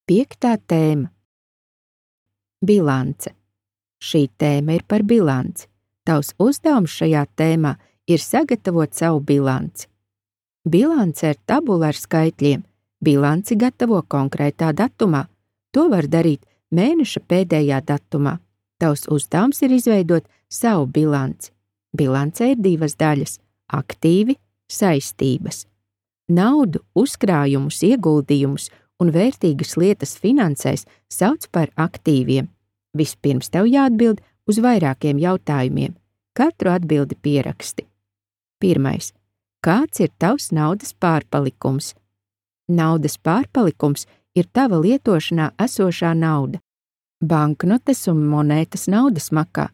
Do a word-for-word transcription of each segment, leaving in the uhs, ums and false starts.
Piektā tēma – bilance. Šī tēma ir par bilanci. Tavs uzdevums šajā tēmā ir sagatavot savu bilanci. Bilance ir tabula ar skaitļiem. Bilanci gatavo konkrētā datumā. To var darīt mēneša pēdējā datumā. Tavs uzdevums ir izveidot savu bilanci. Bilance ir divas daļas – aktīvi, saistības. Naudu, uzkrājumus, ieguldījumus un vērtīgas lietas finansēs sauc par aktīviem. Vispirms tev jāatbild uz vairākiem jautājumiem. Katru atbildi pieraksti. Pirmais. Kāds ir tavs naudas pārpalikums? Naudas pārpalikums ir tava lietošanā esošā nauda. Banknotes un monētas naudas makā.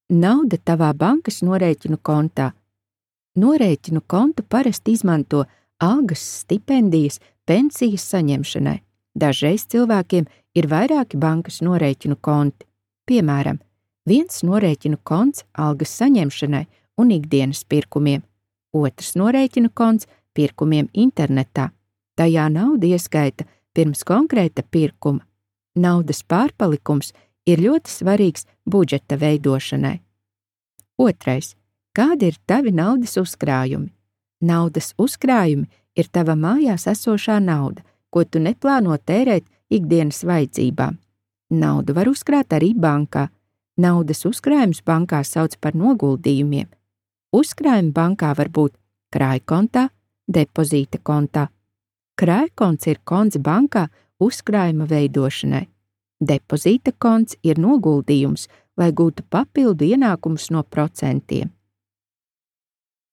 Nauda tavā bankas norēķinu kontā. Norēķinu kontu parasti izmanto algas, stipendijas, pensijas saņemšanai. Dažreiz cilvēkiem ir vairāki bankas norēķinu konti. Piemēram, viens norēķinu konts algas saņemšanai un ikdienas pirkumiem, otrs norēķinu konts pirkumiem internetā. Tajā nauda ieskaita pirms konkrēta pirkuma. Naudas pārpalikums ir ļoti svarīgs budžeta veidošanai. Otrais. Kādi ir tavi naudas uzkrājumi? Naudas uzkrājumi ir tava mājās esošā nauda, ko tu neplāno tērēt ikdienas vajadzībām. Naudu var uzkrāt arī bankā. Naudas uzkrājums bankā sauc par noguldījumiem. Uzkrājumi bankā var būt krājkontā, depozīta kontā. Krājkonts ir konts bankā uzkrājuma veidošanai. Depozīta konts ir noguldījums, lai gūtu papildu ienākumus no procentiem.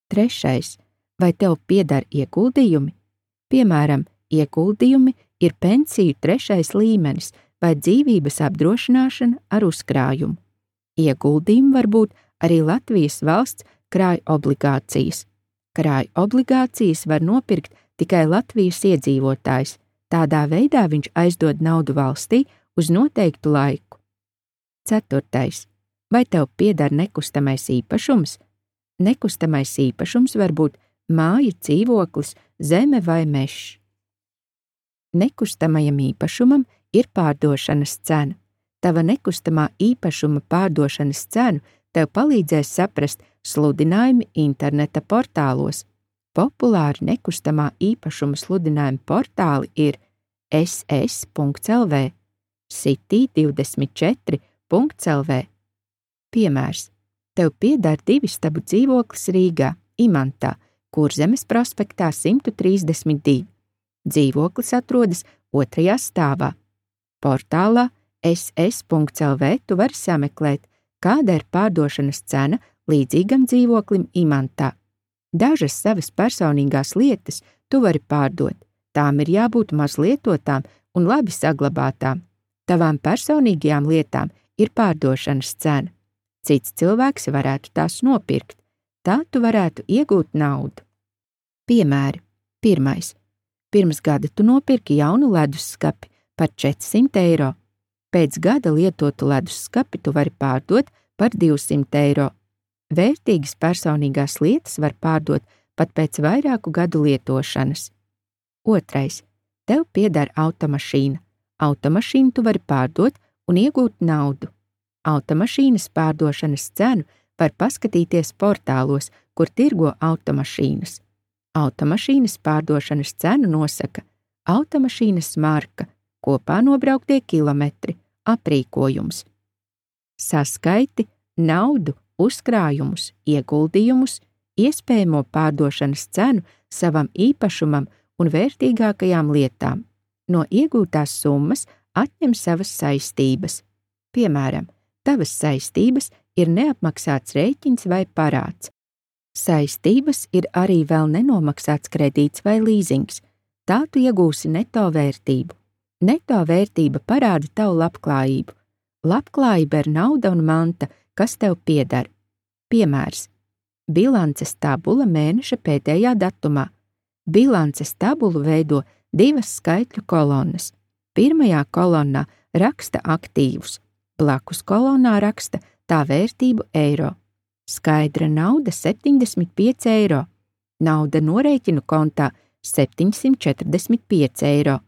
Trešais. Vai tev pieder ieguldījumi? Piemēram, ieguldījumi ir pensiju trešais līmenis vai dzīvības apdrošināšana ar uzkrājumu. Ieguldījumi var būt arī Latvijas valsts krāju obligācijas. Krāju obligācijas var nopirkt tikai Latvijas iedzīvotājs. Tādā veidā viņš aizdod naudu valstī uz noteiktu laiku. Ceturtais. Vai tev pieder nekustamais īpašums? Nekustamais īpašums var būt māja, dzīvoklis, zeme vai mežs. Nekustamajam īpašumam ir pārdošanas cena. Tava nekustamā īpašuma pārdošanas cenu tev palīdzēs saprast sludinājumi interneta portālos. Populāri nekustamā īpašuma sludinājuma portāli ir es es punkts el vē, City divdesmit četri punkts el vē. Piemērs. Tev pieder divistabu dzīvoklis Rīgā, Imantā, Kurzemes prospektā simt trīsdesmit divi. Dzīvoklis atrodas otrajā stāvā. Portālā es es punkts el vē tu vari sameklēt, kāda ir pārdošanas cena līdzīgam dzīvoklim Imantā. Dažas savas personīgās lietas tu vari pārdot. Tām ir jābūt mazlietotām un labi saglabātām. Tavām personīgajām lietām ir pārdošanas cena. Cits cilvēks varētu tās nopirkt. Tā tu varētu iegūt naudu. Piemēri. Pirmais. Pirms gada tu nopirki jaunu ledusskapi par četrsimt eiro. Pēc gada lietotu ledusskapi tu vari pārdot par divsimt eiro. Vērtīgas personīgās lietas var pārdot pat pēc vairāku gadu lietošanas. Otrais. Tev pieder automašīna. Automašīnu tu vari pārdot un iegūt naudu. Automašīnas pārdošanas cenu var paskatīties portālos, kur tirgo automašīnas. Automašīnas pārdošanas cenu nosaka automašīnas marka, kopā nobrauktie kilometri, aprīkojums. Saskaiti naudu, uzkrājumus, ieguldījumus, iespējamo pārdošanas cenu savam īpašumam un vērtīgākajām lietām. No iegūtās summas atņem savas saistības. Piemēram, tavas saistības ir neapmaksāts rēķins vai parāds. Saistības ir arī vēl nenomaksāts kredīts vai līzings. Tā tu iegūsi neto vērtību. Neto vērtība parāda tavu labklājību. Labklājība ir nauda un manta, kas tev pieder. Piemērs. Bilances tabula mēneša pēdējā datumā. Bilances tabulu veido divas skaitļu kolonnas. Pirmajā kolonnā raksta aktīvus, blakus kolonnā raksta tā vērtību eiro. Skaidra nauda septiņdesmit pieci eiro, nauda norēķinu kontā septiņsimt četrdesmit pieci eiro,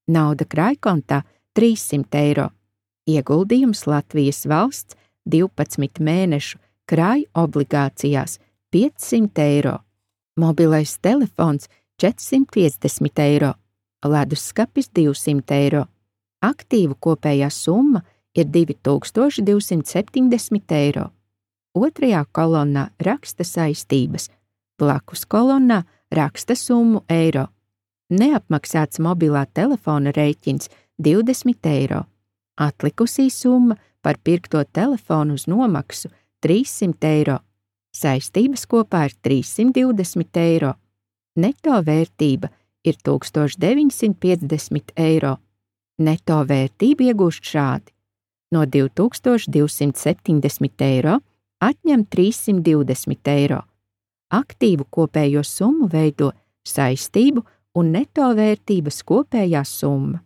nauda krājkontā trīssimt eiro, ieguldījums Latvijas valsts divpadsmit mēnešu krāju obligācijās piecsimt eiro, mobilais telefons četrsimt piecdesmit eiro, leduskapis divsimt eiro. Aktīvu kopējā summa ir divi tūkstoši divsimt septiņdesmit eiro. Otrajā kolonnā raksta saistības, blakus kolonnā raksta summu eiro. Neapmaksāts mobilā telefona rēķins divdesmit eiro. Atlikusī summa par pirkto telefonu uz nomaksu trīssimt eiro. Saistības kopā ir trīssimt divdesmit eiro. Neto vērtība ir tūkstoš deviņsimt piecdesmit eiro. Neto vērtību iegūst šādi. No divi tūkstoši divsimt septiņdesmit eiro atņem trīssimt divdesmit eiro. Aktīvu kopējo summu veido saistību un neto vērtības kopējā summa.